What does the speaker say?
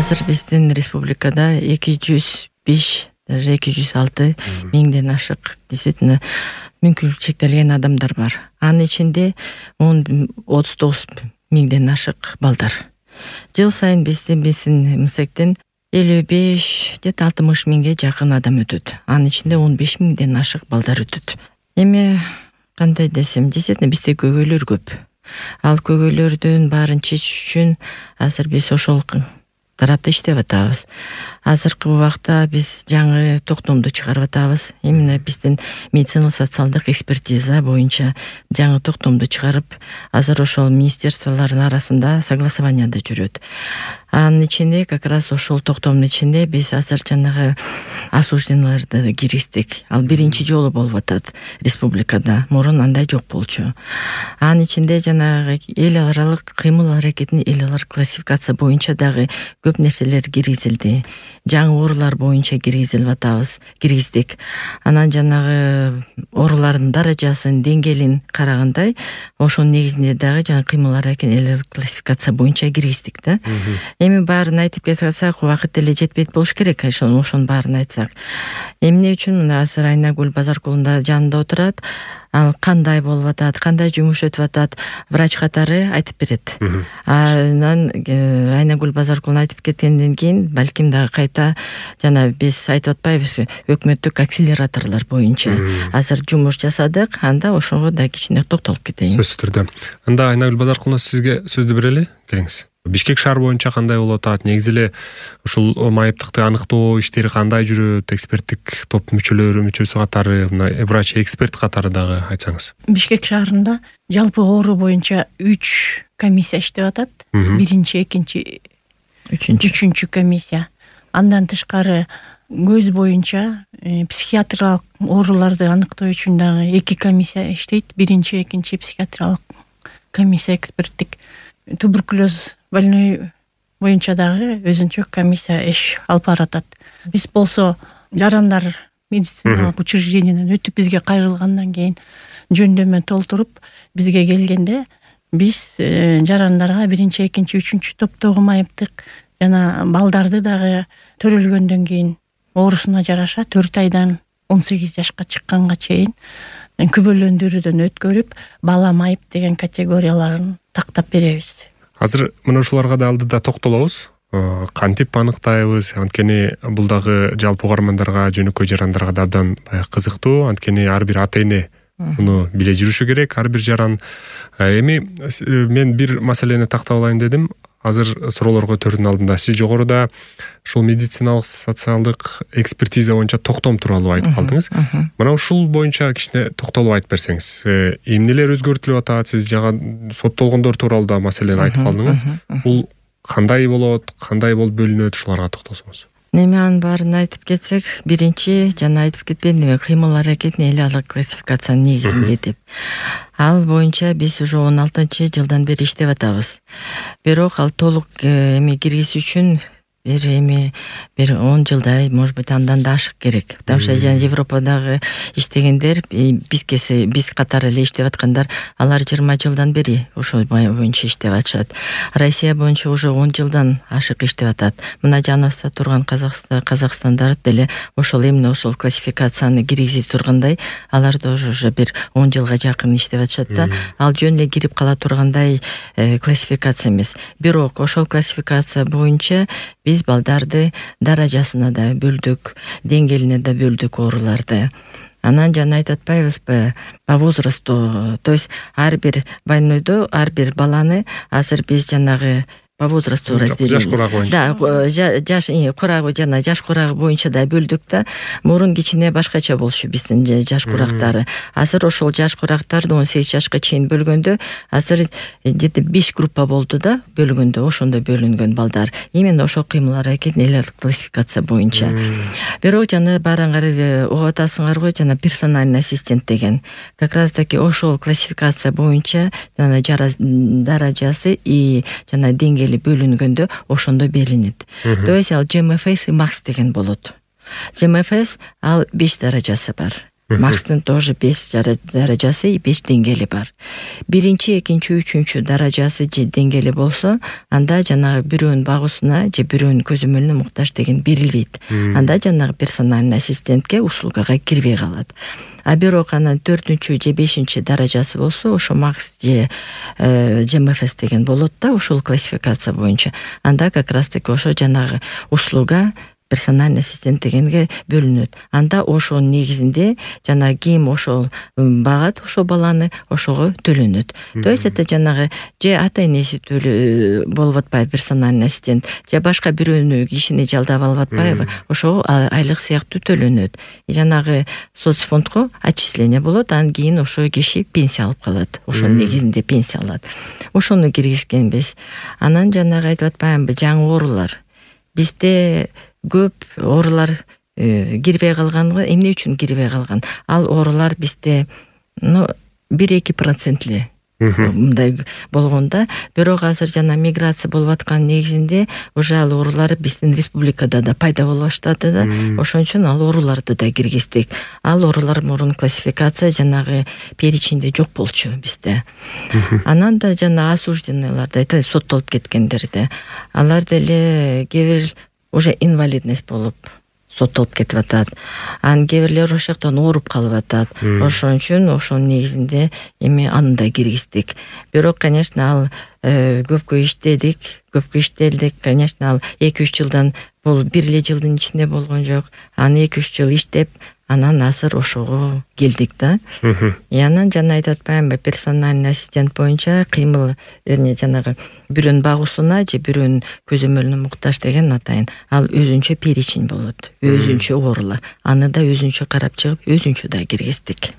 Азыр биздин республикада 205, даже 206 миңден ашык действительно мүмкүнчүлүгү чектелген адамдар бар. Анын ичинде 39 миңден ашык балдар. Жыл сайын биздин МСЭКтен 55 где-то 60 миңге жакын адам өтөт. Анын ичинде 15 миңден ашык балдар өтөт. Эми кандай десем, действительно бизде көйгөйлөр көп. Ал көйгөйлөрдүн баарын чечиш үчүн азыр биз ошол тарапта иштеп атабыз. Азыркы убакта биз жаңы токтомду чыгарып атабыз. Именно биздин медицина социалдык экспертиза боюнча жаңы токтомду чыгарып, азыр ошол министерстволордун арасында согласованияда жүрөт. Анын ичинде как раз ошол токтомдун ичинде биз азыр жанагы осужденныйларды киргиздик. Ал биринчи жолу болуп атат республикада. Мурун андай жок болчу. Анын ичинде жанагы эл аралык кыймыл аракетин эл аралык классификация боюнча дагы көп нерселер киргизилди. Жаңы оорулар боюнча киргиздик. Анан жанагы оорулардын даражасын, деңгээлин карагандай, ошонун негизинде дагы жаңы кыймыл аракет эл аралык классификация боюнча киргиздик да. Эми баарын айтып кетсек, убакыт деле жетпейт болуш керек. Ошонун баарын айтсак. Эмне үчүн мына азыр Айнагүл Базаркулунда жанында отурат. Ал кандай болуп атат, кандай жумуш өтүп атат, врач катары айтып берет. Анан Айнагүл Базаркулун айтып кеткенден кийин балким дагы кайта жана биз айтып атпайбыз, өкмөттүк акселераторлор боюнча азыр жумуш жасадык, анда ошого да кичине токтолуп кетейин. Сөзсүз түрдө. Анда Айнагүл Базаркулуна сизге сөздү берели, келиңиз. Бишкек шаар боюнча кандай болуп атат? Негизи эле ушул майыптыкты аныктоо иштери кандай жүрөт? Эксперттик топ мүчөсү катары, врач эксперт катары дагы айтсаңыз. Бишкек шаарында жалпы оору боюнча 3 комиссия иштеп атат. Биринчи, экинчи, үчүнчү комиссия. Андан тышкары көз боюнча психиатриялык ооруларды аныктоо үчүн дагы 2 комиссия иштейт. Биринчи, экинчи психиатриялык комиссия эксперттик. Туберкулез больной боюнча дагы өзүнчө комиссия иш алып баратат. Биз болсо жарандар медициналык учрежденияден өтүп бизге кайрылгандан кийин жөндөмө толтуруп бизге келгенде биз жарандарга биринчи, экинчи, үчүнчү топтогу майыптык жана балдарды дагы төрөлгөндөн кийин оорусуна жараша 4 айдан 18 жашка чыкканга чейин күбөлөндүрүүдөн өткөрүп, бала майып деген категорияларын тактап беребиз. Азыр мына ушуларга да алдыда токтолобуз. Кантип аныктайбыз? Анткени бул дагы жалпы угармандарга, жөнөкөй жарандарга да абдан кызыктуу. Анткени ар бир ата эне муну биле жүрүшү керек, ар бир жаран. Эми мен бир маселени тактап алайын дедим. Азыр суроолорго көтөрүүнүн алдында сиз жогоруда ушул медициналык социалдык экспертиза боюнча токтом тууралуу айтып калдыңыз. Мына ушул боюнча кичине токтолуп айтып берсеңиз. Эмнелер өзгөртүлүп атат? Сиз жага соттолгондор тууралуу да маселени айтып калдыңыз. Бул кандай болот, кандай болуп бөлүнөт, ушуларга токтолсоңуз. Эми анын баарын айтып кетсек, биринчи жана айтып кетпедимби, кыймыл аракетин эл аралык классификациянын негизинде деп. Ал боюнча биз уже 16-жылдан бери иштеп атабыз. Бирок ал толук эми киргизүү үчүн бир 10 жылдай, может быть, андан да ашык керек. Потому что Европадагы иштегендер, биз катары эле иштеп аткандар, алар 20 жылдан бери ошол боюнча иштеп атышат. Россия боюнча уже 10 жылдан ашык иштеп атат. Мына жаныбызда турган Казакстандар деле ошол эмне ошол классификацияны киргизе тургандай, алар да уже бир 10 жылга жакын иштеп атышат да. Ал жөн эле кирип кала тургандай классификация эмес. Бирок ошол классификация боюнча биз балдарды даражасына да бөлдүк, деңгээлине да бөлдүк ооруларды. Анан жана айтып атпайбызбы, по возрасту, то есть ар бир больнойду, ар бир баланы азыр биз жанагы по возрасту разделили. Жаш курагы боюнча. Да, жаш курагы жана жаш курагы боюнча да бөлдүк да. Мурун кичине башкача болчу биздин жаш курактары. Азыр ошол жаш курактарды 18 жашка чейин бөлгөндө, азыр где-то 5 группа болду да, бөлгөндө, ошондо бөлүнгөн балдар. Именно ошол кыймыл аракет эл аралык классификация боюнча. Бирок жана баарыңар угуп атасыңар го, жана персональный ассистент деген. Как раз таки ошол классификация боюнча жана даражасы и жана деңгээли бөлүнгөндө ошондо берилет. То есть ал ЖМФС и МАКС деген болот. ЖМФС ал 5 даражасы бар. макстын тоже 5 даражасы и 5 деңгээли бар. Биринчи, экинчи, үчүнчү даражасы же деңгээли болсо, анда жанагы бирөөнүн багуусуна же бирөөнүн көзөмөлүнө муктаж деген берилбейт. Анда жанагы персональный ассистентке услугага кирбей калат. А бирок анан 4-же 5-чи даражасы болсо, ошо макс же МФС деген болот да, ошол классификация боюнча. Анда как раз таки ошо жанагы услуга персональный ассистент дегенге бөлүнөт. Анда ошонун негизинде жанагы ким ошол багат ошол баланы, ошого төлөнөт. То есть это жанагы же ата-энеси болуп атпайбы персональный ассистент, же башка бирөөнү кишини жалдап алып атпайбы, ошого айлык сыяктуу төлөнөт. Жанагы соцфондго отчисление болот, анан кийин ошо киши пенсия алып калат. Ошонун негизинде пенсия алат. Ошону киргизгенбиз. Анан жанагы айтып атпаймынбы, жаңы оорулар. Бизде көп оорулар кирбей калган. Эмне үчүн кирбей калган? Ал оорулар бизде 1-2% эле мындай болгондо, бирок азыр жана миграция болуп аткан негизинде уже ал оорулар биздин республикада да пайда боло баштады да. Ошон үчүн ал ооруларды да киргиздик. Ал оорулар мурун классификация жанагы перечинде жок болчу бизде. Анан да жана осужденныйларды айтат, соттолуп кеткендерди. Алар деле кээ бир уже инвалидность болуп соттолуп кетип атат. Анан кээ бирлер ошол жактан ооруп калып атат. Ошон үчүн ошонун негизинде эми аны да киргиздик. Бирок, конечно, ал көпкө иштелдик. Конечно, ал 2-3 жылдан, бул 1 эле жылдын ичинде болгон жок. Аны 2-3 жыл иштеп, анан азыр ошого келдик да. Анан жана айтып атпаймынбы, персональный ассистент боюнча кыймыл, жанагы бирөөнүн багуусуна же бирөөнүн көзөмөлүнө муктаж деген атайын. Ал өзүнчө перечень болот, өзүнчө оорулар. Аны да өзүнчө карап чыгып, өзүнчө да киргиздик.